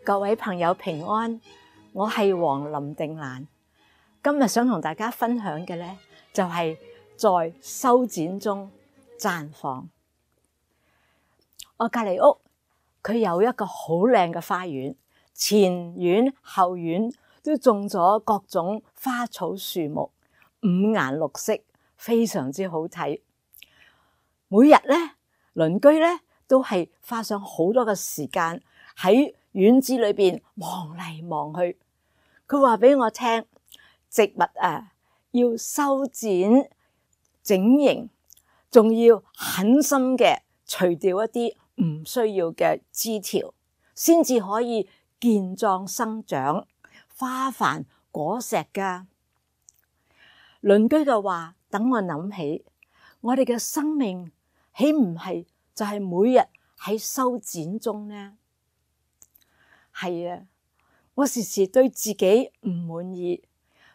各位朋友平安，我係黃林定蘭。今日想同大家分享嘅呢，就係在修剪中綻放。我隔離屋佢有一個好靚嘅花園，前院後院都種咗各種花草樹木，五顏六色，非常之好睇。每日呢，鄰居呢都係花上好多嘅時間喺院子裏邊望嚟望去。佢話俾我聽，植物啊要修剪整形，仲要狠心嘅除掉一啲唔需要嘅枝條，先至可以健壯生長、花繁果實噶。鄰居嘅話等我諗起，我哋嘅生命豈唔係就係每日喺修剪中呢？係啊，我時時對自己唔滿意，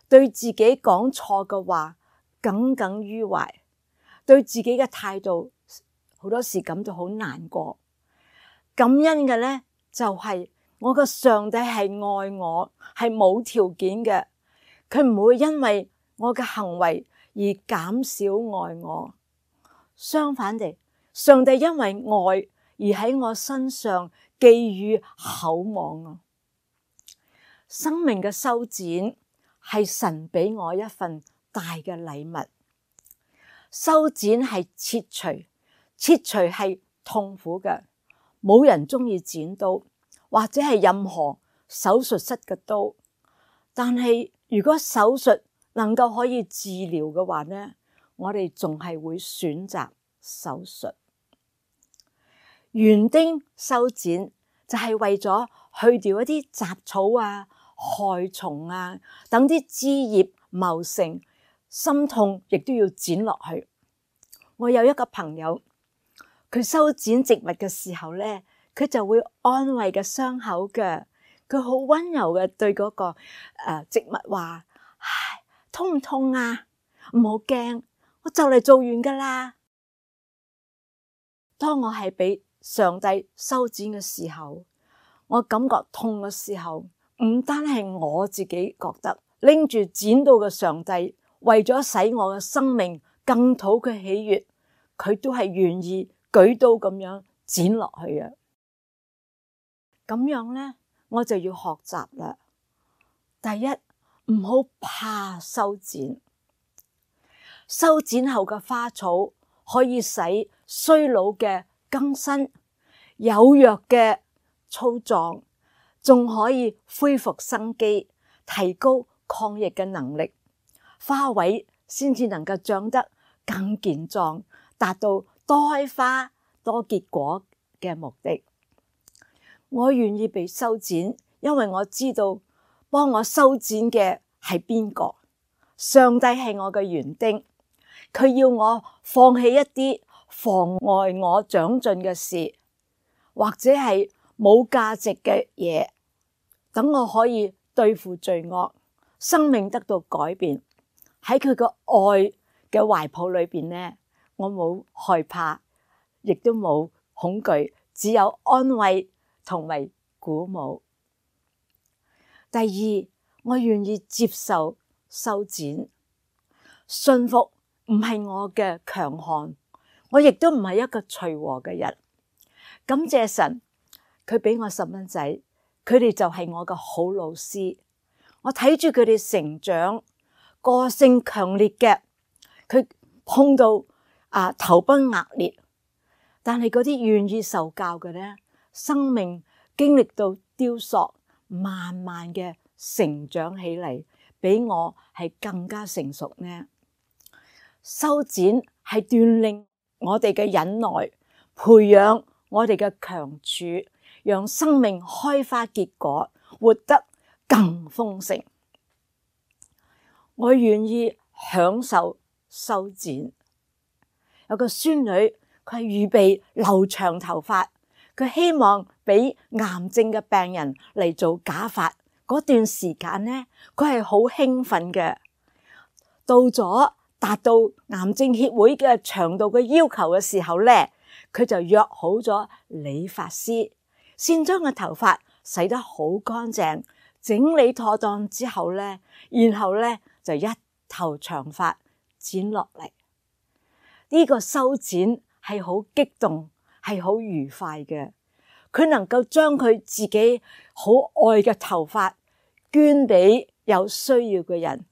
對自己講錯嘅話耿耿於懷，對自己嘅態度好多時感到好難過。感恩嘅呢，就係我嘅上帝係愛我，係冇條件嘅，佢唔會因為我嘅行為而減少愛我。相反地，上帝因為愛而喺我身上寄予厚望啊！生命嘅修剪係神俾我一份大嘅禮物。修剪係切除係痛苦嘅，冇人中意剪刀，或者係任何手術室嘅刀。但係如果手術能夠可以治療嘅話呢，我哋仲係會選擇手術。園丁修剪就係為咗去掉一啲雜草啊、害蟲啊，等啲枝葉茂盛，心痛亦都要剪落去。我有一個朋友，佢修剪植物嘅時候咧，佢就會安慰嘅傷口嘅，佢好溫柔嘅對嗰個植物話：唉，痛唔痛啊？唔好驚，我就嚟做完噶啦。當我係俾上帝修剪嘅時候，我感覺痛嘅時候，唔單係我自己覺得，拎住剪刀嘅上帝，為咗使我嘅生命更討佢喜悅，佢都係願意舉刀咁樣剪落去啊！咁樣呢，我就要學習啦。第一，唔好怕修剪，修剪後嘅花草可以使衰老嘅更新，有弱嘅粗壯，仲可以恢復生機，提高抗疫嘅能力，花卉先至能夠長得更健壯，達到多開花多結果嘅目的。我願意被修剪，因為我知道幫我修剪嘅係邊個？上帝係我嘅園丁，佢要我放棄一啲妨礙我長進嘅事，或者係冇價值嘅嘢，等我可以對付罪惡，生命得到改變。喺佢個愛嘅懷抱裏邊呢，我冇害怕，亦都冇恐懼，只有安慰同埋鼓舞。第二，我願意接受修剪，順服唔係我嘅強項，我亦都唔係一個隨和嘅人。感謝神，佢俾我細蚊仔，佢哋就係我嘅好老師。我睇住佢哋成長，個性強烈嘅，佢碰到頭崩額裂，但係嗰啲願意受教嘅呢，生命經歷到雕塑，慢慢嘅成長起嚟，比我係更加成熟呢。修剪係鍛鍊我哋嘅忍耐，培養我哋嘅強處，讓生命開花結果，活得更豐盛。我願意享受修剪。有個孫女，佢係預備留長頭髮，佢希望俾癌症嘅病人嚟做假髮。嗰段時間呢，佢係好興奮嘅。到咗達到癌症協會嘅長度嘅要求嘅時候呢，佢就約好咗理髮師，先將個頭髮洗得好乾淨，整理妥當之後咧，然後咧就一頭長髮剪落嚟。呢個修剪係好激動，係好愉快嘅。佢能夠將佢自己好愛嘅頭髮捐俾有需要嘅人，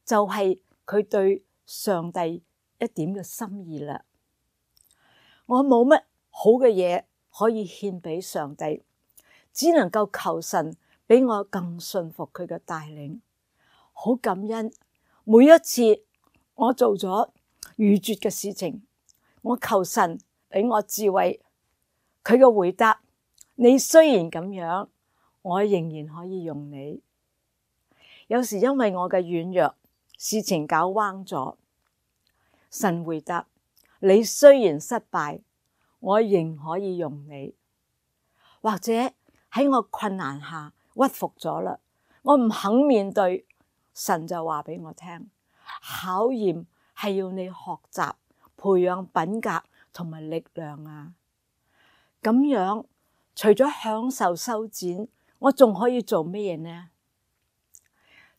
就係佢對上帝一點嘅心意啦。我冇乜好嘅嘢可以獻俾上帝，只能夠求神俾我更信服佢嘅帶領。好感恩，每一次我做咗愚拙嘅事情，我求神俾我智慧。佢嘅回答：你雖然咁樣，我仍然可以用你。有時因為我嘅軟弱，事情搞彎咗，神回答：你雖然失敗，我仍可以用你。或者喺我困難下屈服咗啦，我唔肯面對，神就話俾我聽：考驗係要你學習培養品格同埋力量啊。咁樣除咗享受修剪，我仲可以做乜嘢呢？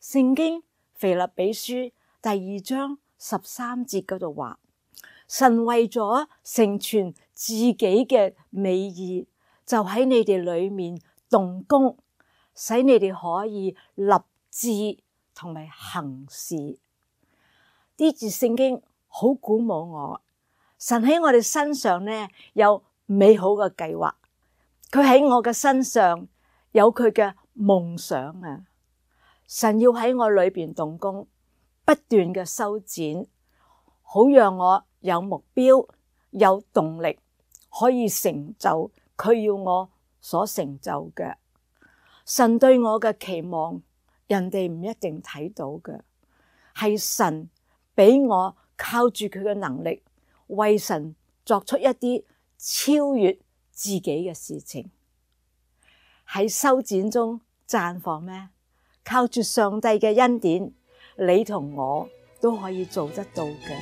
聖經腓立比書第2章13節嗰度話：神為咗成全自己嘅美意，就喺你哋裏面動工，使你哋可以立志同埋行事。呢節聖經好鼓舞我。神喺我哋身上呢有美好嘅計劃，佢喺我嘅身上有佢嘅夢想啊！神要喺我裏邊動工，不斷嘅修剪，好讓我有目標、有動力，可以成就佢要我所成就嘅。神對我嘅期望，人哋唔一定睇到嘅，係神俾我靠住佢嘅能力，為神作出一啲超越自己嘅事情。喺修剪中綻放咩？靠住上帝嘅恩典，你同我都可以做得到嘅。